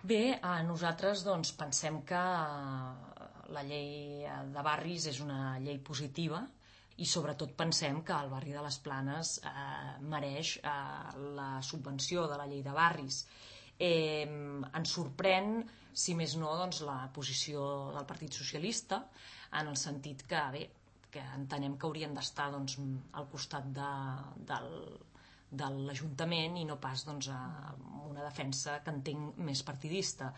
Bé, nosaltres pensem que la llei de barris és una llei positiva i sobretot pensem que el barri de les Planes mereix la subvenció de la llei de barris. Ens sorprèn, si més no, la posició del Partit Socialista, en el sentit que, bé, que entenem que haurien d'estar al costat de l'Ajuntament i no pas una defensa que entenc més partidista,